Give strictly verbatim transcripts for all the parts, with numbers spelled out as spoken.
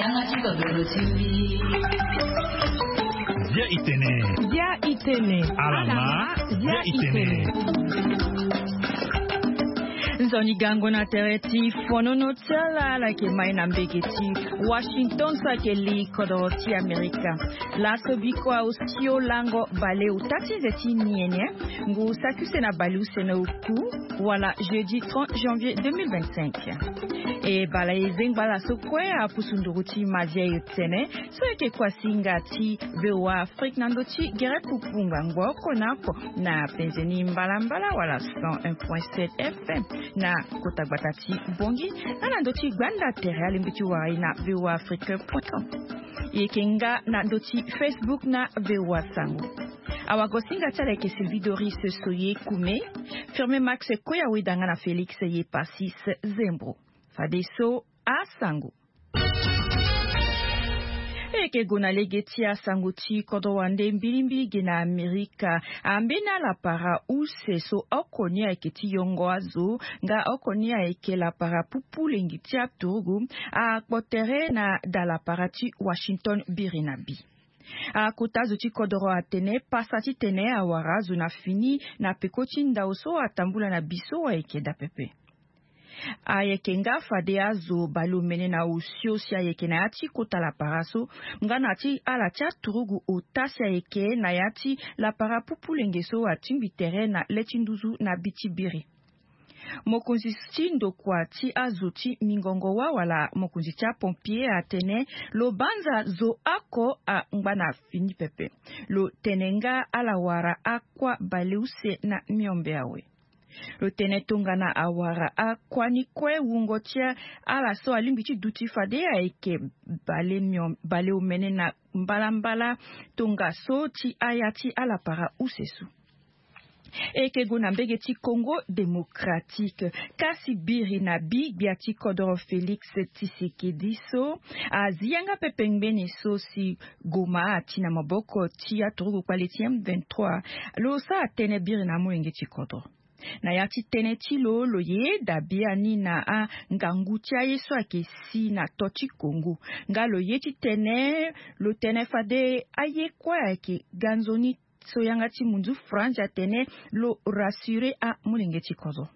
Yanga ti kodoro ti mbi. Bia itene. Bia itene. Alama. Bia itene. Nzoni gango na tere ti fonono ti ala ala yeke mai na mbege ti Washington so ayeke li kodoro ti Amerika. Laso biko aosio lango baleota ti nze ti niene ngu saki use na baleuse na oku wala jeudi trente janvier deux mille vingt-cinq. E baleuzengba laso kue apusu nduru ti madia yo tene so ayeke kuasinga ti VOA Afrique na ndo ti gere pupu ngbangbo oko na oko na penze ni mbalambala wala cent un point sept FM na kota gbata ti Bongi, na na ndo ti gbanda tere alingbi ti wara e na VOA Afrique point com. E yeke nga na ndo ti Facebook na VOA Sango. Awagosinga ti ala yeke Sylvie Doris Soye Kume, Firme Max Koya Wedanga na Félix Yepasis Zembro. Fadeso asango. E yeke gue na lege ti asango ti kodro wande mbilimbili ge na Amerika. Ambeni alapara use so oko ni ayeke ti yongo azo nga oko ni ayeke lapara pupu lengi ti aturugu akpo tere na dalapara ti Washington biri na bi. Akota azo ti kodoro atene pasa titene awara azo na fini na peko ti ndao so atambula na bi so ayeke daa pepe. Ayeke nga fade azo baleomene na osio si ayeke na ya ti kota lapara so nga na ya ti ala ti aturugu ota si ayeke na ya ti lapara pupu lenge so atingbi tere na le ti nduzu na bi ti biri. Mokonzi ti ndokua ti azo ti mingongo wa wala mokonzi ti apompier atene lo banza zo oko angba na fini pepe. Lo tene nga ala wara akua baleuse na miombe awe. Lo tene tongana awara akua ni kue wungo ti ala so alingbi ti duti fade ayeke baleomene na mbalambala tongaso ti aya ti alapara use so. E yeke gue na mbege ti Congo Démocratique kasi biri na bi gbia ti kodoro Félix Tshisekedi so azi yanga pepe ngbeni so si Goma ati na maboko ti aturugu kpale ti M vingt-trois. Lo sara tënë biri na amolenge ti kodro. Na ya ti tënë ti lo lo yeda biani na angangu ti aye so ayeke si na to ti Congo nga lo ye ti tene lo tene fade aye kue ayeke ga nzoni so yanga ti munzu France atene lo rassurer amolenge ti kodro.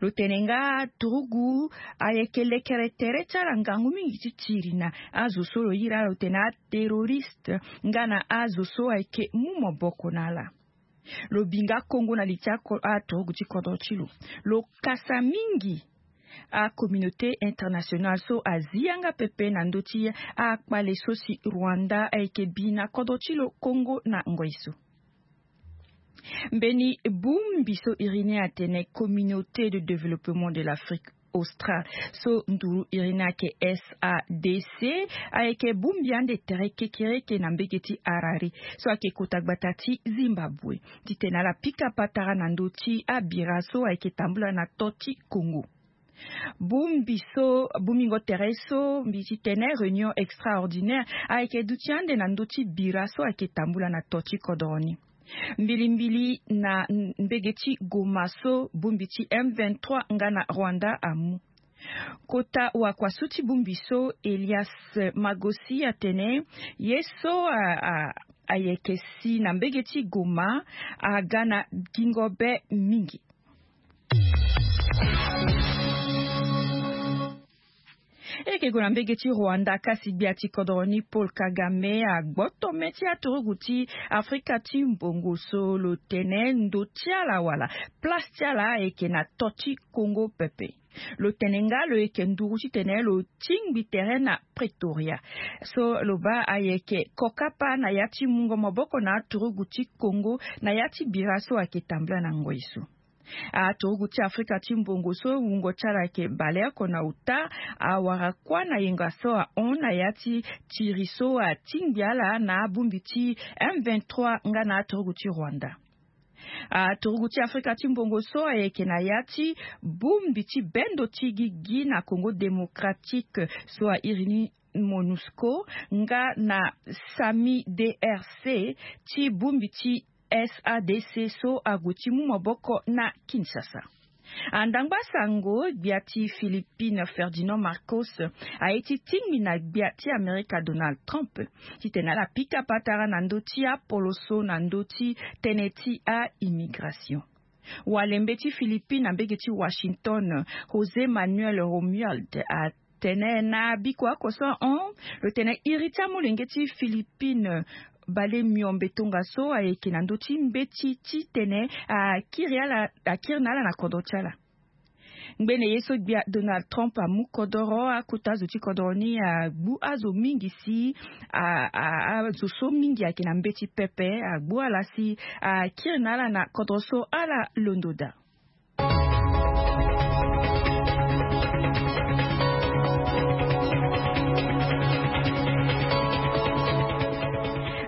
Lo tene nga turugu ayeke lekere tere ti ala ngangu mingi ti tiri na azo so lo iri ala lo tene aterroriste nga na azo so ayeke mu maboko na ala. Lo bi nga kongo na li ti aturugu ti kodro ti lo. Lo kasa mingi acommunauté internationale so azi yanga pepe na ndö ti akpale so si Rwanda ayeke bi na kodro ti lo Congo na ngoi so. Mbeni bongbi so iri ni atene Communauté de Développement de l'Afrique Australe so nduru iri ni ayeke S A D C ayeke bongbi ande tere kekereke na mbege ti Harare so ayeke kota gbata ti Zimbabwe titene ala pika patara na ndö ti abira so ayeke tambula na to ti Congo. Bongbi so bongbingo tere so mbi ti tene réunion extraordinaire ayeke duti ande na ndö ti bira so ayeke tambula na to ti kodoro ni. Mbilimbili na mbege ti Goma so bongbi ti M vingt-trois nga na Rwanda amu. Kota wakua so ti bongbi so Elias Magosi atene ye so ayeke si na mbege ti Goma aga na gingo be mingi. E yeke gue na mbege ti Rwanda kasi gbia ti kodoro ni Paul Kagame agboto me ti aturugu ti Afrika ti mbongo so lo tene ndo ti ala wala place ti ala ayeke na to ti Congo pepe. Lo tene nga lo yeke nduru titene lo tingbi tere na Pretoria so lo baa ayeke kokapa na ya ti mungo maboko na aturugu ti Congo na ya ti bira so ayeke tambula na ngoi so. Aturugu ti Afrika ti mbongo so wungo ti ala ayeke baleoko na ota awara kuâ na yenga so ahon na ya ti tiri so atingbi ala na abongbi ti M vingt-trois nga na aturugu ti Rwanda. Aturugu ti Afrika ti mbongo so ayeke na ya ti bongbi ti bendo ti gigi na Congo Démocratique so airi ni MONUSCO nga na sami D R C ti bongbi ti S A D C so ague ti mu maboko na Kinshasa. Andangba sango gbia ti Philippines Ferdinand Marcos aye ti tingbi na gbia ti Amerika Donald Trump titene ala pika patara na ndö ti apoloso na ndö ti tënë ti a-immigration. Walembe ti Philippines na mbege ti Washington, José Manuel Romuald, atene na biko oko so ahon lo tene iri ti amolenge ti Philippines bale miombe tongaso ayeke na ndö ti mbeti titene akiri ala akiri na ala na kodro ti ala. Ngbene ye so gbia Donald Trump amu kodoro akota azo ti kodoro ni agbu azo mingi si azo so mingi ayeke na mbeti pepe agbu ala si akiri na ala na kodro so ala londo daa.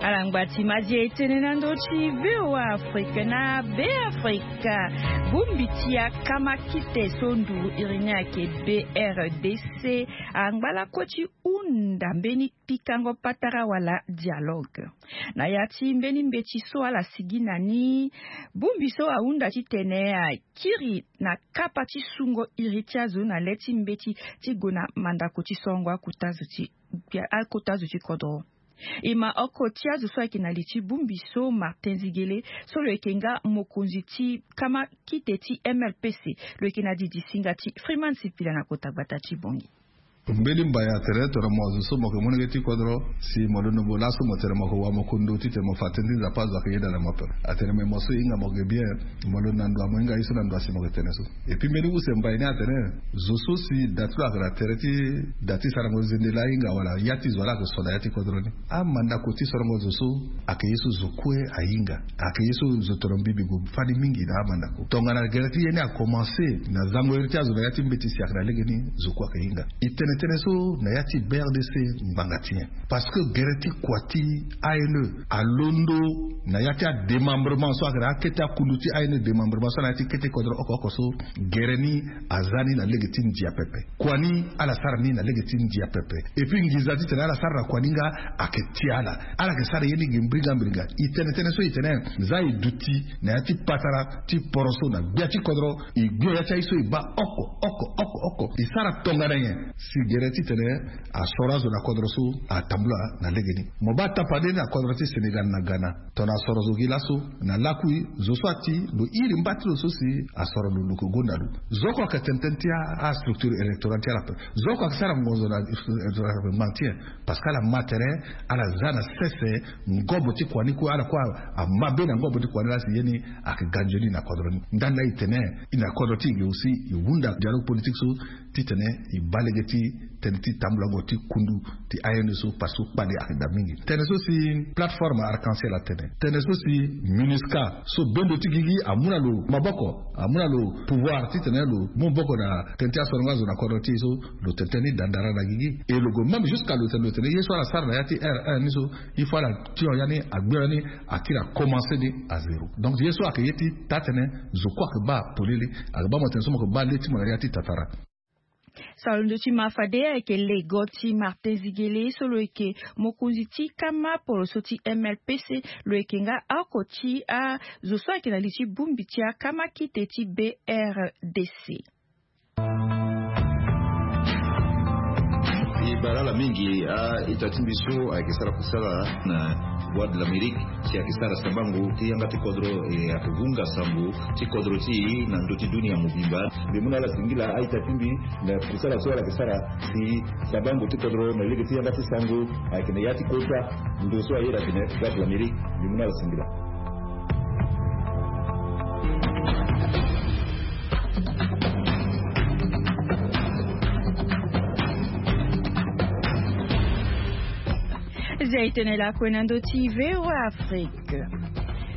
Ala ngba ti mazi etene na ndö ti VOA Afrique na Be Afrique. Bongbi ti akama kite so nduru iri ni ayeke B R D C angba lakue ti hunda mbeni pikango patara wala dialogue. Na ya ti mbeni mbeti so ala sigi na ni, bongbi so ahunda titene akiri na kapa ti sungo iri ti azo na le ti mbeti ti gue na mandako ti sorongo akota azo ti akota azo ti kodro. E ma oko ti azo so ayeke na li ti bongbi so Martin Zigele so lo yeke nga mokonzi ti kama kite ti M L P C lo yeke na didi singa ti Freeman Sipila na kota gbata ti Bangui. Mbeni mbai atene tongana mo azo so mo yeke molenge ti kodro si mo londo mo laso mo tene mo yeke wa mo kundu titene mo fa tënë ti Nzapa azo ayeke yeda na mo ape. Atene me mo so e hinga mo yeke bien. Mo londo na ndo ya mo hinga ye so na ndo ya si mo yeke tene so. Et puis mbeni use mbai ni atene zo so si da ti lo ayeke na tere ti da ti sarango zende laa ahinga wala ya ti zo laa ayeke so na ya ti kodro ni. Amandako ti sorongo zo so ayeke ye so zo kue ahinga. Ayeke ye so zo toro mbi mbi gue fani mingi na amandako tongana gere ti ye ni akomanse na zango iri ti azo na ya ti mbeti si ayeke na legeni zo kue ayeke hinga. E tene tënë so na ya ti B R D C ngbanga ti nyen? Parce que gere ti kua ti A N E alondo na ya ti ademembrement so ayeke na akete akundu ti A N E demembrement so na ya ti kete kodro oko oko so gere ni aza ni na lege ti ndia pepe. Kua ni ala sara ni na lege ti ndia pepe. Et puis nginza titene ala sara na kua ni nga ayeke ti ala. Ala yeke sara ye ni gi mbringa mbringa. E tene tënë so e tene za e duti na ya ti patara ti poroso na gbia ti kodro. E gbio ya ti aye so e baa oko oko oko oko e sara tongana nyen? Si gere titene asoro azo na kodro so atambula na legeni. Mo baa tapande na kodro ti Sénégal na Ghana. Tongana asoro zo gi laso na lakui zo so ati lo iri mba ti lo so si asoro lo lo yeke gonda lo. Zo oko ayeke tene tënë ti astructure électorale ti ala ape. Zo oko ayeke sara ngonzo na électorale ape. Ngbanga ti nyen? Parce que ala ma tere ala za na sese ngobo ti kua ni kue ala kue amabe na ngobo ti kua ni laa si ye ni ayeke ganzoni na kodro ni. Ndani laa e tene e na kodro ti e ge aussi e hunda dialogue politique so titene e baa lege ti tënë ti tambulango ti kundu ti A N E so parce que kpale ayeke daa mingi. Tënë so si plateforme arc-en-ciel atene tënë so si MINUSCA so bendo ti gigi amu na lo maboko amu na lo pouvoir titene lo mu maboko na tënë ti asorongo azo na kodro ti e so lo tene tënë ni dandara na gigi. Et lo gue même jusqu'à lo tene lo tene ye so ala sara na ya ti R un ni so il faut ala tio ya ni agbio ya ni akiri akomanse ni à zéro. Donc ye so ayeke ye ti taa tënë zo kue ayeke baa polele ayeke baa mo tene so mo yeke baa le ti mo na ya ti tatara. Salondo ti ma fade ayeke lego ti Martin Zigele so lo yeke mokonzi ti kama poroso ti M L P C. Lo yeke nga oko ti azo so ayeke na li ti bongbi ti akama kite ti B R D C. E bara ala mingi a-ita ti mbi so ayeke sara kusala na Voix de l'Amérique si ayeke sara sabango ti yanga ti kodro e ayeke vunga sango ti kodro ti e na ndö ti dunia mobimba. Mbi mu na ala singila a-ita ti mbi na kusala so ala yeke sara si sabango ti kodro na lege ti yanga ti sango ayeke na ya ti kota ndo so ayeda atene Voix de l'Amérique. Mbi mu na ala singila. Zia e tene lakue na ndö ti VOA Afrique.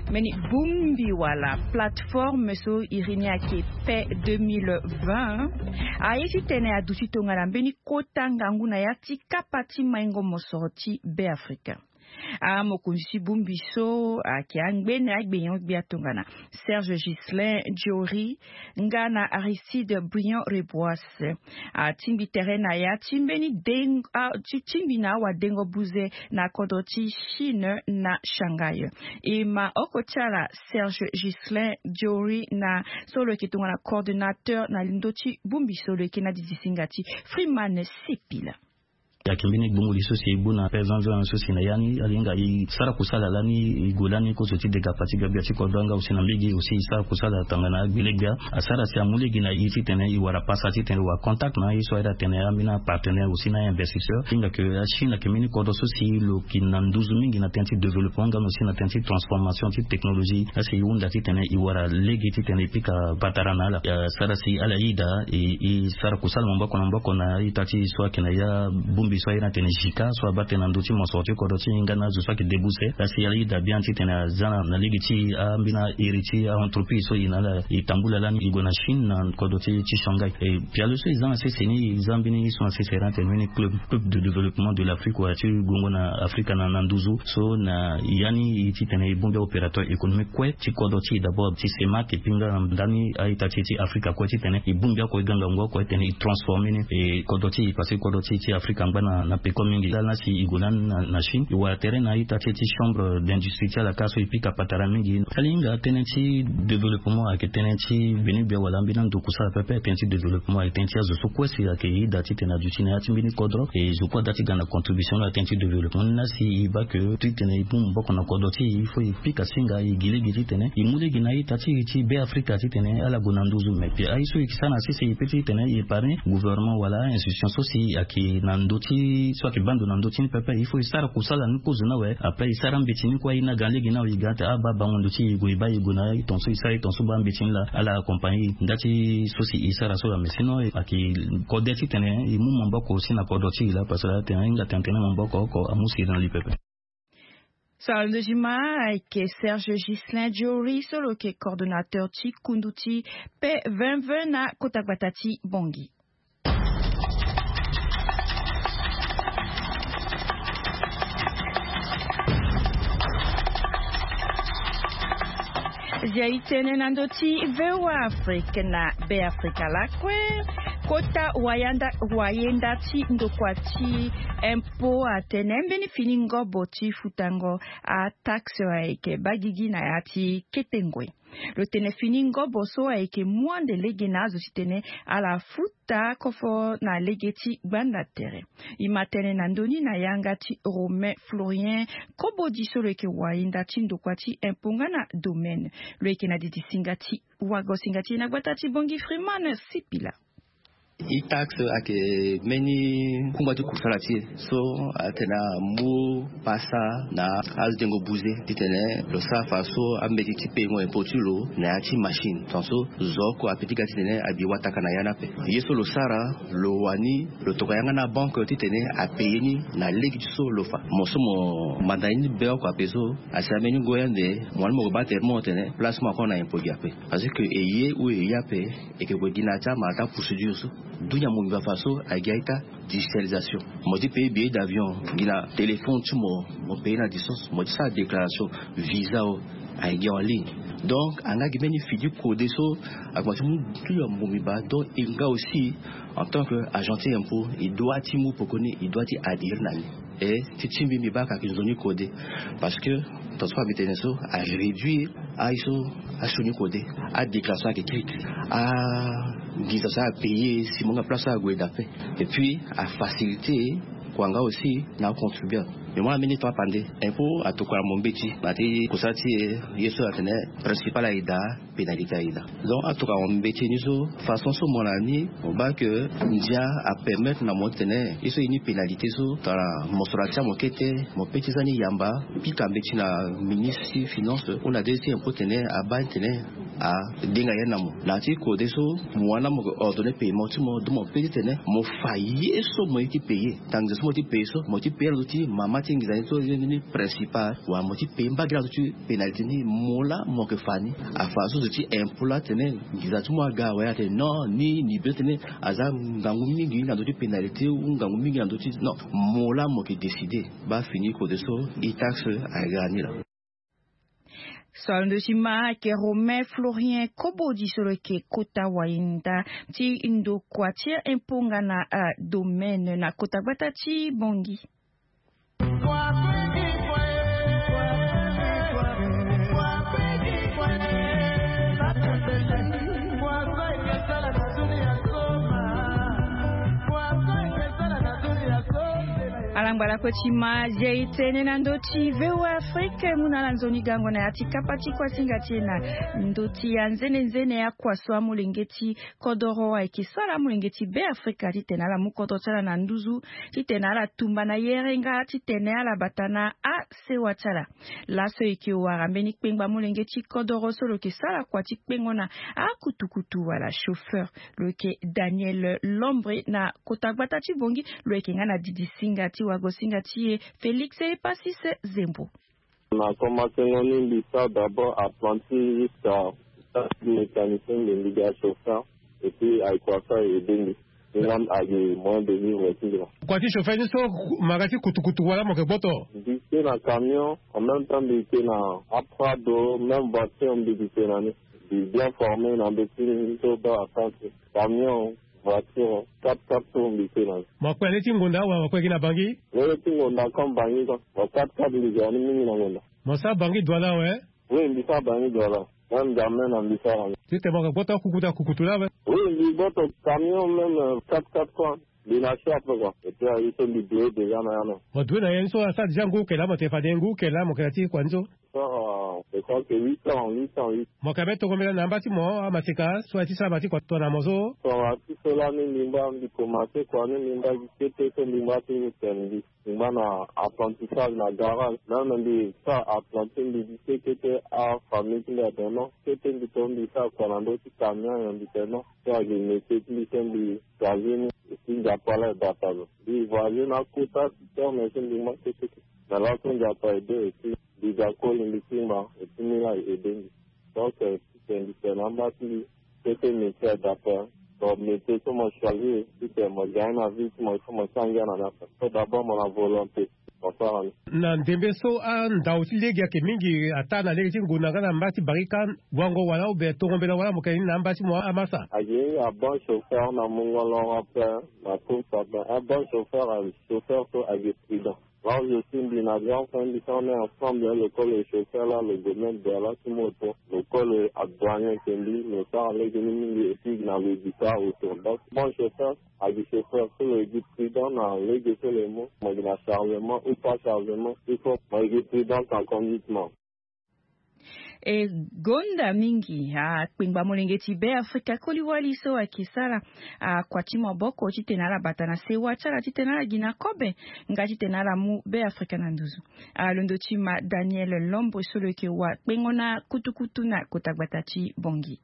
Mbeni bongbi wala plateforme so iri ni ayeke paix deux mille vingt aye ti tene aduti tongana mbeni kota ngangu na ya ti kapa ti maingo mosoro ti Be Afrika. Amokonzi ti bongbi so ayeke angbene agbenyo-gbia tongana Serge Ghislain Jory nga na Aristide Briand-Reboise atingbi tere na ya ti mbeni dengo ti tingbi na awadengo buze na kodro ti Chine na Shanghai. E ma oko ti ala Serge Ghislain Jory na so lo yeke tongana coordonnateur na ndö ti bongbi so lo yeke na didi singa ti Freeman Sipila. Ayeke mbeni gbongoli so si e gbu na pe zanzan so si na ya ni ala hinga e sara kusala lani e gue lani kozo ti dega fatiga gbia ti kodro nga aussi na mbege aussi e sara kusala tongana agbele-gbia. Asara si amu lege na e titene e wara pasa titene e wara contact na aye so ayeda tene ambeni apartenaire aussi na ainvestisseur hinga ke achine ayeke mbeni kodro so si lo yeke na nduzu mingi na tënë ti développement nga na aussi na tënë ti transformation ti technologie asi e hunda titene e wara lege titene e pika patara na ala. Asara si ala yeda e sara kusala maboko na maboko na ita ti so ayeke na ya bongbi so ayeda tene jika so abaa tënë na ndö ti mosoro ti kodro ti e nga na azo so ayeke debouse asi ala yeda bien titene aza na lege ti ambeni iri ti aentreprise so e na ala e tambula lani e gue na Chine na kodro ti Shanghai. Pialo so e za na sese ni e za mbeni so na sese ayeda tene mbeni club club de développement de l'Afrique wala ti gongo na Afrika na nduzu so na ya ni e titene e bongbi aopérateur économique kue ti kodro ti e d'abord ti CEMAC epui nga na ndani a-ita ti e ti Afrika kue titene e bongbi oko e ga ngangu oko titene e transformer ni e kodro ti e parce que kodro ti e ti Afrika angba na peko mingi. Lani asi e gue lani na Chine e wara tere na a-ita ti e ti chambre d'industrie ti ala kâ so e pika patara mingi. Ala hinga tënë ti développement ayeke tënë ti gbeni gbia wala ambeni ando kusala pepe. Tënë ti développement ayeke tënë ti azo so kue si ayeke yeda titene aduti na ya ti mbeni kodro e zo kue ada ti ga na contribution na tënë ti développement ni asi e baa ke titene e mu maboko na kodro ti e il faut e pika singa e gi lege titene e mu lege na a-ita ti e ti Be Afrika titene ala gue na nduzu mais pia aye so e yeke sara na sese e pe titene e épargne gouvernement wala a-institution so si ayeke na ndö ti so ayeke baa ndo na ndö ti ni pepe il faut e sara kusala ni kozo ni awe. Après e sara mbeti ni kue aye ni aga lege ni awe e ga ate abaa bango ndo ti e gue e baa e gue na e tongaso e sara e tongaso baa mbeti ni laa ala accompagner e nda ti so si e sara so laa mais sinon ayeke kode titene e mu maboko aussi na kodro ti e laa parce que atene ahinga tene tene maboko oko amu siri na li pepe. So alondo ti ma ayeke Serge Ghislain Jory so lo yeke coordonnateur ti kundu ti P vingt vingt na kota gbata ti Bangui. Zia e tene na ndö ti VOA Afrique na Be Afrika lakue. Kota wayenda ti ndokua ti impo atene mbeni fini ngobo ti futango ataxe ayeke baa gigi na ya ti kete ngoi. Lo tene fini ngobo so ayeke mu ande lege na azo titene ala futa kofo na lege ti gbanda tere. E ma tene na ndö ni na yanga ti Romain Florien Kobodi so lo yeke wayenda ti ndokua ti impo nga na domaine. Lo yeke na didi singa ti wago singa ti e na gbata ti Bangui Freeman Sipila. E-tax ayeke mbeni kungba ti kusala ti e so atene amu pasa na azo dengo buze titene lo sara fa so ambeti ti payengo impo ti lo na ya ti machine tongaso zo oko ape ti ga titene abi wataka na ya ni ape. Ye so lo sara lo wani lo tokua yanga na banque titene apaye ni na lege ti so lo fa mo so mo manda ye ni be oko ape so asi ambeni ngoi ande mo wani mo gue baa tere mo tene place mo akon na impo gi ape. Parce que e ye ou e ye ape e yeke gue gi na ya ti amara ti aprocédure so. Dunia mobimba fa so ayeke gi a-ita digitalisation. Mo ti paye billet d'avion gi na téléphone ti mo. Mo paye na distance mo ti sara déclaration visa o ayeke gi en ligne. Donc anga gi mbeni fidi kode so ague ti mu dunia mobimba donc e nga aussi en tant que agent ti impo e doit ti mu poko ni e doit ti adhérer na ni. E ti ti mbi mbi baa ka yeke nzoni kode. Parce que tongaso mbi tene so aréduire aye so asioni kode. Adéclaration ayeke kiri. Anginza so apaye si mo nga place so ague dape. Et puis afacilité kua nga aussi na acontribuable. Mais mo na mbeni temps apande impo atokua na mo mbeti na ti kusala ti e. Ye so atene principal ayeke daa pénalité ayeke daa. Donc atokua na mo mbeti ni so façon so mo na ni mo baa ke ndia apermettre na mo titene ye so e ni pénalité so tongana mosoro atia mo kete mo pe ti za ni yamba pika mbeti na ministre ti finance ou na de ti impo tene abaa ni tene Adenga ye na mo na ya ti kode so, mo wani laa mo ke ordonner paiement ti mo, donc mo pe titene mo fa ye so mo ye ti payer. Ntango so mo ye ti payer so, mo ye ti payer na ndö ti mama ti nginza ni so ye ni principal, wala mo ye ti payer mbage na ndö ti pénalité ni, mo laa mo ke fa ni. Afa so zo ti impôt laa atene nginza ti mo aga awe, atene non, ni ni be titene aza ngangu mingi na ndö ti pénalité ou ngangu mingi na ndö ti, non, mo laa mo ke décider. Baa fini kode so, e taxe aga ni laa. So alondo ti ma ayeke Romain Florien Kobodi so lo yeke kota wayenda ti ndokua ti impôt nga na domaine na kota gbata ti Bangui. Ala ngba lakue ti ma zia e tene na ndö ti V O A Afrique mu na ala nzoni gango na ya ti kapa ti kuasinga ti e na ndö ti anzenenzene akua so amolenge ti kodoro ayeke sara amolenge ti Beafrika titene ala mu kodro ti ala na nduzu, titene ala tumba na yere nga titene ala bata na asewa ti ala. Laso e yeke wara mbeni kpengba molenge ti kodoro so lo yeke sara kua ti kpengo na akutukutu wala chauffeur, lo yeke Daniel Lombre na kota gbata ti Bangui. Lo yeke nga na didi singa ti wago singa ti e Félix Epasis Zembo. Na komansengo ni mbi sara d'abord apprenti jusqu'à mécanicien, mbi mbi ga chauffeur. Et puis ayeke kua so a aidé mbi. Nga ayeke moyen de vivre ti mbi laa. Kua ti chauffeur ni so, mara ti kutukutu wala mo yeke gboto? Mbi te na camion, en même temps mbi te na aprado, même voiture mbi te na ni. Mbi bien formé na ndö ti ni so baa apprenti. Camion, voiture, quatre-quatre tours mbi te na ni. Mo kue na lege ti ngonda wala mo kue gi na Bangui? Lege ti ngonda comme Bangui quoi. Mo quatre-quatre mbi zo na ni mingi na ngonda. Mo sara Bangui Douala awe? Oui, mbi sara Bangui Douala. Même N'Djamena mbi sara ni. Titene mo yeke gboto akukutu akukutu laa awe? Oui, mbi gboto camion même, euh, quatre-quatre quoi. Mbi na si ape quoi. Et puis aye so mbi doye déjà na ya na. Mo doye na ya ni so asara déjà ngu eke laa mo yeke fade ngu eke laa mo yeke na ti kua ni so? Sara, je crois que huit ans, huit ans, huit. Mo yeke ambeni tongo mbela na amba ti mo amaseka so aye ti sara ma ti kua tongana mo so? Tongana ti so lani mbi ngba mbi komanse kua ni mbi ngba gi kete so mbi ngba ti ni tene mbi. Mbi ngba na apprentissage na garage. Même mbi sara apprenti mbi gi kete kete afamille ti mbi atene non. Kete mbi to mbi sara kua na ndö ti camion nyen mbi tene non. So ayeke métier ti mbi so mbi choisi ni. Et puis Nzapa laa e bata lo. Mbi voyagé na akota ti terme so mbi ngba kete kete. Mais laso Nzapa aidé et puis mbi ga koli mbi ti ngba et puis ni laa e aidé mbi. Donc, euh, titene mbi tene na amba ti mbi, kete métier adapté. Donc métier so mo choisi, titene mo gagne na vie ti mo, il faut mo ti angia na ni ape. So d'abord mo na volonté, mo sara ni. Na ndembe so andau ti lege ayeke mingi ataa na lege ti ngonda nga na mba ti barika, wango wala ou bien tongo mbela wala mo yeke ni na amba ti mo amasa? Ayeke ni abon chauffeur na mungo loro ape, na course ape. Abon chauffeur, chauffeur so ayeke prudent. Moi aussi mbi na grand frère mbi so on est ensemble, lo kue lo chauffeur là, lo gue même Douala ti moto, lo kue lo adouane yeke mbi, lo sara lege ni mingi et puis na lo zi kâ autour. Donc bon chauffeur, ayeke chauffeur so lo yeke prudent na lege so lo ye mu, mo yeke na chargement ou pas chargement, il faut mo yeke prudent en conduite mo. E gonda mingi akpengba molenge ti Beafrika koli wali so ayeke sara akua ti maboko titene ala bata na sewa ti ala titene ala gi na kobe nga titene ala mu Beafrika na nduzu. Alondo ti ma Daniel Lombre so lo yeke wakpengo na kutukutu na kota gbata ti Bangui.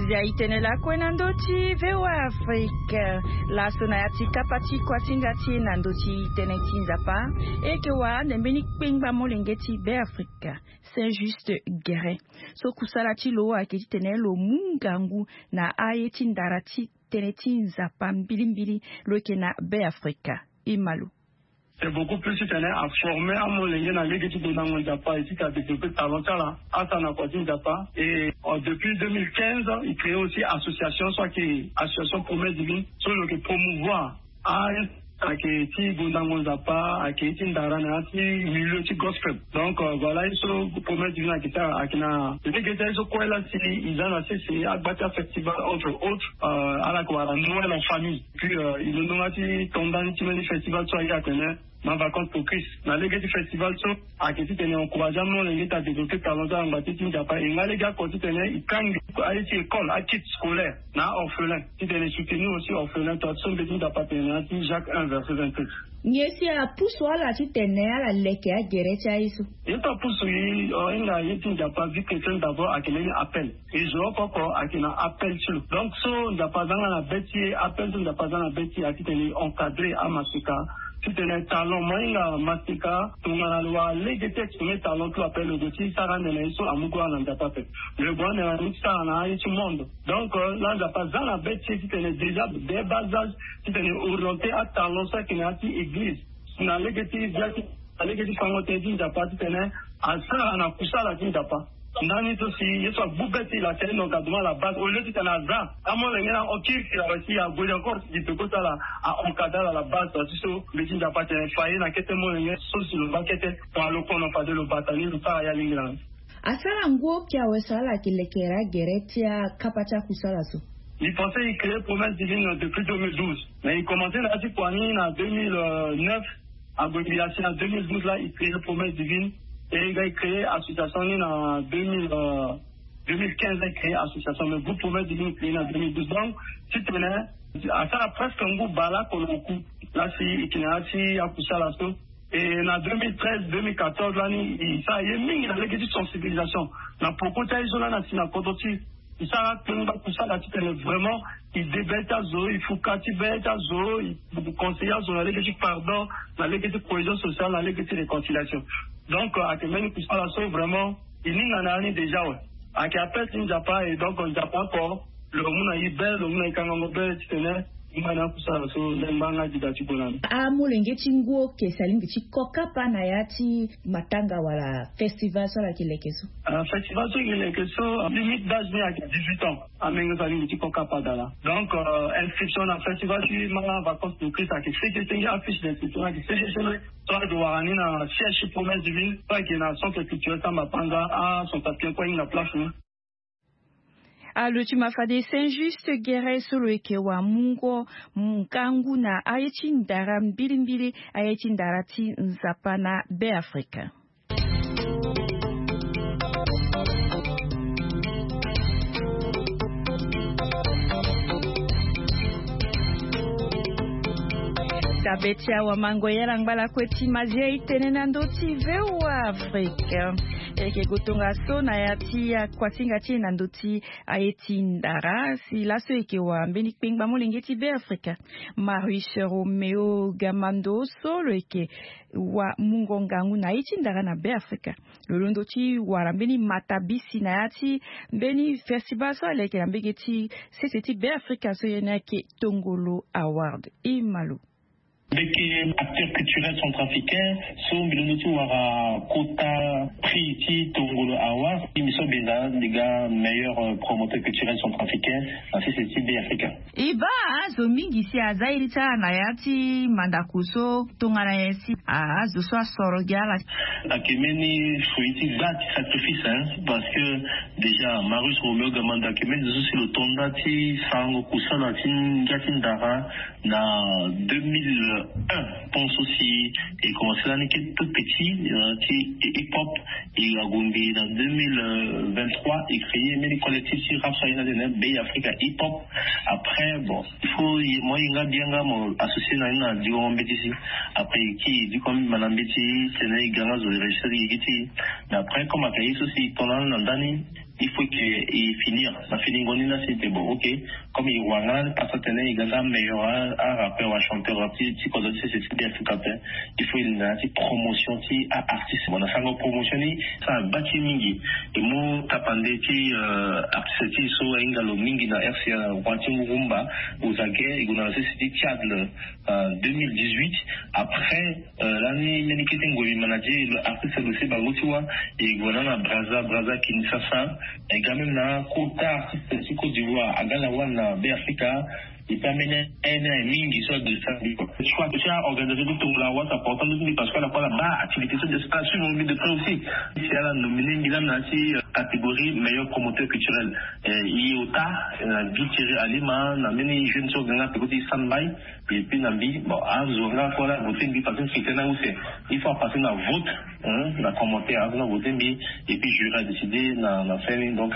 Zia e tene lakue na ndö ti V O A Afrique. Laso na ya ti kapa ti kuasinga ti e na ndö ti tënë ti Nzapa, e yeke wara ande mbeni kpengba molenge ti Beafrika, Saint Juste Guérin, so kusala ti lo ayeke titene lo mu ngangu na aye ti ndara ti tënë ti Nzapa mbilimbili lo yeke na Beafrika. E ma lo. C'est beaucoup plus titene a former amolenge na lege ti gondango Nzapa et ti ka développer talent ti ala, asara na kua ti Nzapa. Et euh, depuis deux mille quinze, il crée aussi association so ayeke association Promesse Divine so lo yeke promouvoir a ayeke ti gondango Nzapa, ayeke ti ndara na ya ti milieu ti gospel. Donc euh, voilà ye so Promesse Divine ayeke ti ala, ayeke na lege ti aye so kue la si e za na sese agba ti afestival entre autres, euh, ala yeke wara Noël en famille. Puis euh, e londo nga ti to ndani ti mbeni festival so ayeke atene ma vacances pour Christ. Na lege ti festival so ayeke titene encourager amolenge ti adévelopper talent ti ala na ngba ti ti Nzapa. E nga lege oko titene e kangbi Aye ti école, akit scolaire na aorphelin, titene soutenir aussi orphelin to ati so mbeti nzapa atene na ya ti Jacques un verset vingt-sept. Nyen si apusu ala titene ala leke agere ti aye so? Ye so apusu ye, o hinga ye ti nzapa vie chrétienne d'abord ayeke mbeni appel. E zo oko oko ayeke na appel ti lo. Donc so nzapa aza nga na be ti ye, appel so nzapa aza na be ti ye atitene e encadrer amaseka. Titene talent mo hinga maseka tongana lo wara lege ti exprimer talent ti lo ape, lo gue ti sara ande na ye so amu go ala na nzapa ape. Lo gue ande na ye ti sara na aye ti monde. Donc la nzapa aza na be ti ye titene déjà dès bas âge titene orienter atalent so ayeke na ya ti église na lege ti via ti na lege ti fango tënë ti nzapa titene asara na kusala ti nzapa. Ndani so si ye so agbu be ti e la tene donc aduma la base au lieu titene aza amolenge na okirikiri awe si ague encore si peko ti ala a encadrer ala la base ti so mbi ti nzapa atene fa ye na kete molenge so si lo baa kete. Tongana lo kono fade lo bata ni lo sara ye alingbi na ni. Asara ngu oki awe so ala yeke lekere agere ti akapa ti akusala so? Mbi pense e créer promesse divine depuis deux mille douze, mais e commencer na ya ti kua ni na deux mille neuf. Ague mbi asi na deux mille douze la e créer promesse divine. E ga e créer association ni na deux mille deux mille quinze la e créer association, mais groupe promesse divine e créer na deux mille douze. Donc titene asara presque ngu bale oko na oku la si e yeke na ya ti akusala so. Et na deux mille treize deux mille quatorze lani e sara ye mingi na lege ti sensibilisation na poko ti aye so lani asi na kodro ti e. E sara akpengba kusala titene vraiment e de be ti azo, e fuka ti be ti azo, e conseiller azo na lege ti pardon, na lege ti cohésion sociale, na lege ti réconciliation. Donc ayeke mbeni kusala so vraiment e hinga na ya ni déjà awe. Ayeke appel ti nzapa, et donc nzapa oko lo mu na e be, lo mu na e kangango be titene e ngba na akusala so lengba nga dida ti gue na ni. Amolenge ti ngu oke si alingbi ti ko kapa na ya ti matanga wala festival so ala yeke leke so? Ah, festival so e yeke leke so limite d'âge ni ayeke dix-huit ans. Amenge so alingbi ti ko kapa dala. Donc inscription na festival ti manga vacances de Christ ayeke seke senge, afiche d'inscription ayeke seke senge. So azo wara ni na siège ti promesse divine so ayeke na centre culturel Samba Panza, a centre africain kue ahinga place ni. Alo ti ma fade Saint Juste Guéret so lo yeke wamungo ngangu na aye ti ndara mbilimbili, aye ti ndara ti nzapa na Beafrika. Dabe ti awamango yala ngbalakue ti mazia e tene na ndö ti V O A Afrique. E yeke gue tongaso na ya ti akuasinga ti e na ndö ti aye ti ndara si laso e yeke wara mbeni kpengba molenge ti Beafrika. Marius Romeo Gamando so lo yeke wamungo ngangu na aye ti ndara na Beafrika. Lo londo ti wara mbeni matabisi na ya ti mbeni festival so ala yeke na mbege ti sese ti Beafrika so ye ni ayeke Tongolo Award. E ma lo. Mbi yeke acteur culturel centrafricain so mbi londo ti wara kota prix ti Tongolo Award. Mbi so mbi za mbi ga meilleur promoteur culturel centrafricain na sese ti Beafrika. E baa azo mingi si aza iri ti ala na ya ti mandako so tongana nyen si azo so asoro gi ala? Ayeke mbeni fruit ti ga ti sacrifice, hein, parce que déjà Marius Romeo Gamando ayeke mbeni zo so si lo to nda ti sarango kusala ti ngia ti ndara na deux mille un. Pon so si e commencé lani kete tout petit ti hip hop. E ague ngbii na deux mille vingt-trois, e créé mbeni collectif ti rap so aye ni atene Beafrika Hip Hop. Après bon, il faut moi ye nga bien nga mo associé na ni na dikongo mbeti si. Après e ki e dikongo mbi ma na mbeti tene e ga nga zo e registre ti e gi ti e. Mais après comme ayeke ye so si e to na ni na ndani, il faut que e finir na finingo ni la si e te bon, ok. Comme e wara nga ni pasa tene e ga nga meilleur a rappeur wa chanteur ti kodro ti sese ti Beafrika ape. Il faut e linda na ya ti promotion ti a-artiste. Bon na sango promotion ni sara baa ti e mingi. E mu tapande ti artiste ti e so ahinga lo mingi na R C A, roi ti rumba, Ozaguer, e gue na sese ti Tchad deux mille dix-huit. Après lani mbeni kete ngoi mbi manager artiste lo se bango ti wa. E gue na na Brazza, Brazza, Kinshasa. E ga même na kota artiste ti Côte d'Ivoire aga na wa na Beafrika. Ita mene ene mingi so de sa bi ko. Soit tu as organisé tout ton la wasa portant de parce que la fois là-bas activité so de ça suivre de près aussi. Si ala nominé ngi la na si catégorie meilleur promoteur culturel. Iota na bi Thierry Alima na mene jeune so ganga pe ko ti sandbay. Et puis na mbi bon azo nga ko la voté mbi parce que c'était na où c'est il faut passer na vote. Na commentaire azo na voté mbi. Et puis jury a décidé na na fin donc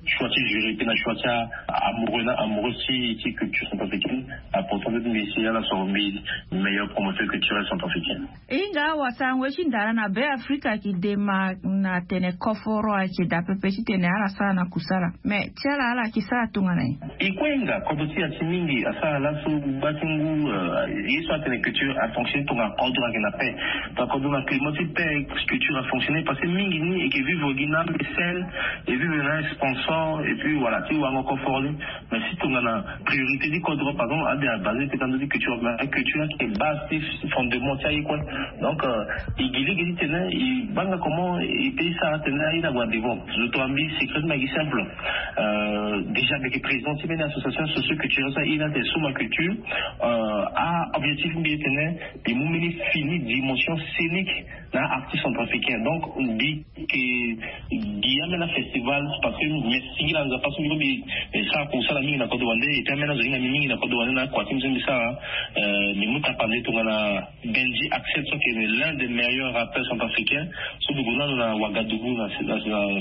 choix ti jury puis na choix ti amoureux na amoureux ti ti culture centrafricaine. Apportant mbi si ala soro mbi meilleur promoteur culturel centrafricain. E hinga awasango ye ti ndara na Be Afrika ayeke dema na tene koforo ayeke daa pepe titene ala sara na kusala. Mais ti ala ala yeke sara tongana nyen? E kue hinga kodro ti ya ti mingi asara laso. Gba ti ngu ye so atene culture afonctionne tongana kodro ayeke na paix. Donc kodro na climat ti paix culture afonctionne parce que mingi ni eke vivre gi na mbesene e vivre na sponsor et puis voilà ti wango koforo ni. Mais si tongana priorité ti kodro par exemple ade abase ti tando ti culture mais culture ayeke base ti fondement ti aye kue. Donc e gi lege ti tene e banga comment e pe e sara tene aye na gue na devant. Zo tongana mbi secret ti mbi ayeke simple. Déjà mbi yeke président ti mbeni association socio culturelle so aye ni atene suma culture. A objectif ti mbi e tene mbi mu mbeni fini dimension scénique na artiste centrafricain donc mbi ke gi ambeni afestival parce que mbi singila nzapa so mbi ko mbi sara kosala mingi na kodro wande et puis ambeni azo hinga mbi mingi na kodro wande na akua ti mbi so mbi sara. Mbi mu tapande tongana Benji Axel so ayeke l'un des meilleurs rappeurs centrafricains so mbi gue nanu na Ouagadougou na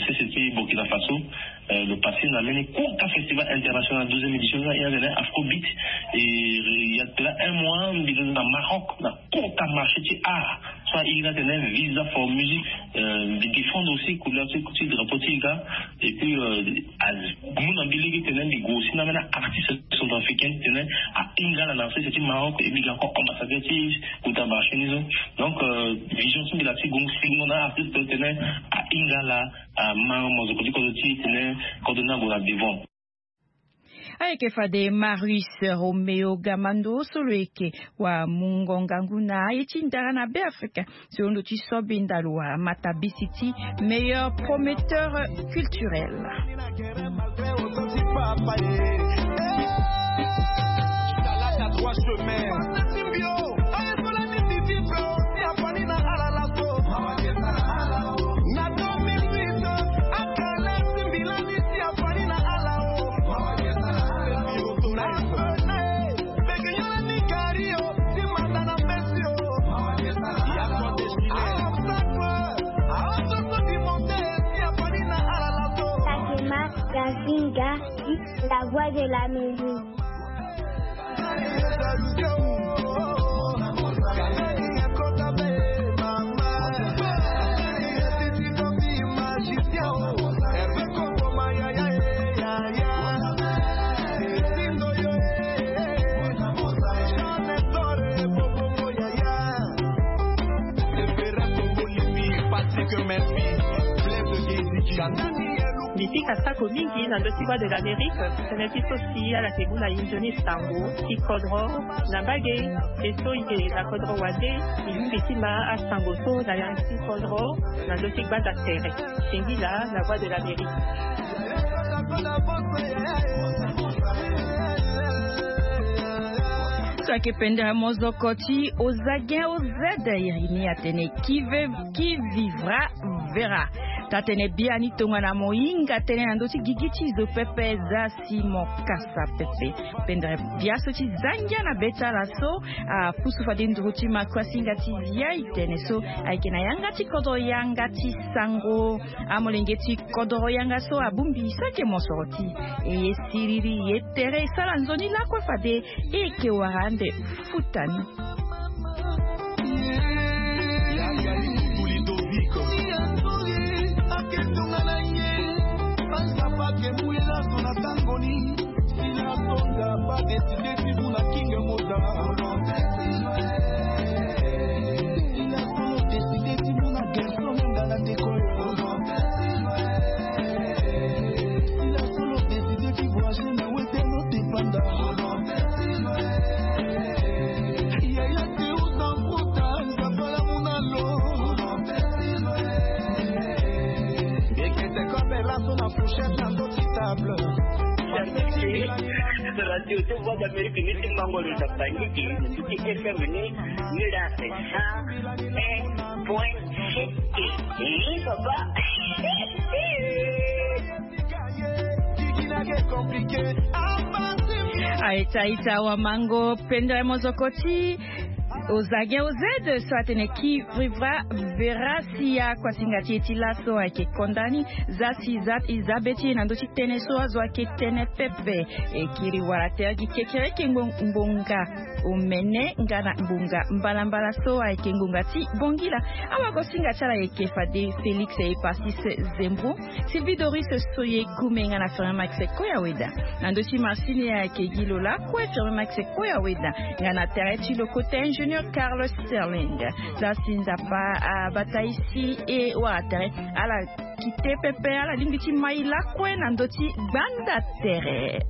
sese ti Burkina Faso. Le passé na mbeni kota festival international douzième édition so na ina tene Afrobeat. E ya tena un mois mbi na Maroc na kota marché ti art so airi na tene visa for music. Mbi défendre aussi couleur ti ti drapeau ti ika. Et puis amu na mbi lege tene mbi gue aussi na mbeni artiste centrafricain tene ahinga ala na sese ti Maroc et mbi ga encore ambassadeur ti kota marché ni so. Donc vision ti mbi la ti gue singo na artiste tene ahinga ala. Ama mo zo koti kozo ti tene kozo ni ague na devant. Ayeke fade Marius Romeo Gamando so lo yeke wamungo ngangu na aye ti ndara na Be Afrika. Si lo ndo ti so be ndalo wara matabisi ti meilleur prometteur culturel. Takema Gazinga, la voix de la musique. Mbi pika sako mingi na ndö ti Voix de l'Amérique. Tënë ti so si ala yeke mu na inzo ni sango ti kodro na mbage. E so e yeke na kodro wande e yumbi ti ma asango so na yanga ti kodro na ndö ti gbanda tere. Singila na Voix de l'Amérique. So ayeke pendere mozoko ti Ozagen Ozed iri ni atene qui veut qui vivra verra. Taa-tënë biani tongana mo hinga tënë na ndö ti gigi ti zo pepe za si mo kasa pepe. Pendere biaso ti za ngia na be ti ala so apusu fade nduru ti maku asinga ti zia e tene so ayeke na yanga ti kodro yanga ti sango. Amolenge ti kodoro yanga so abongbi sake mosoro ti e ye siriri ye tere e sara nzoni lakue fade e yeke wara ande futa ni. Radio ti Voix d'Amérique ni ti mango lo na Bangi ti F M ni, ni la cent un point sept. Ni papa. Aita ita wa mango pendere mozoko ti ozage ozede so atene ki vivra verasia kuasinga ti e ti laso ayeke konda ni. Za si za e za be ti e na ndö ti tënë so azo ayeke tene pepe. E kiri wala tere gi kekereke ngbonga omene nga na ngbonga mbalambala so ayeke ngbonga ti bongila. Awagosinga ti ala ayeke fade Félix Epasis Zembo, Sylvie Doris Soye Kume nga na Fermin Max Koya Weda. Na ndö ti masini ayeke gi lo lakue Fermin Max Koya Weda. Nga na tere ti lo kota ingénieur Carlos Sterling. Za si nzapa abata isi e wara tere ala kite pepe ala lingbi ti mai lakue na ndö ti gbanda tere.